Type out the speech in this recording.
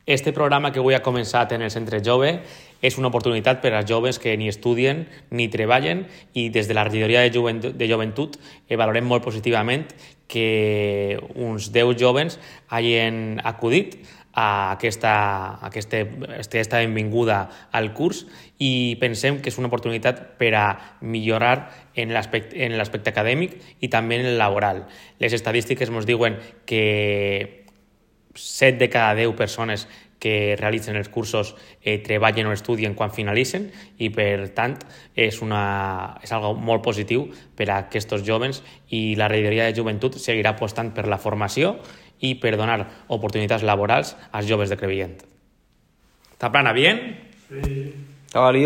Este programa que avui ha començat en el Centre Jove és una oportunitat per als joves que ni estudien ni treballen, i des de la regidoria de joventut valorem molt positivament que uns 10 joves hagin acudit a aquesta benvinguda al curs, i pensem que és una oportunitat per a millorar en l'aspecte acadèmic i també en el laboral. Les estadístiques ens diuen que 7 de cada 10 persones que realitzen els cursos treballen o estudien quan finalitzen, i per tant és algo molt positiu per a aquests joves, i la regidoria de joventut seguirà apostant per la formació i per donar oportunitats laborals als joves de Crevillent. ¿Está plana bien? Sí. Estaba lío.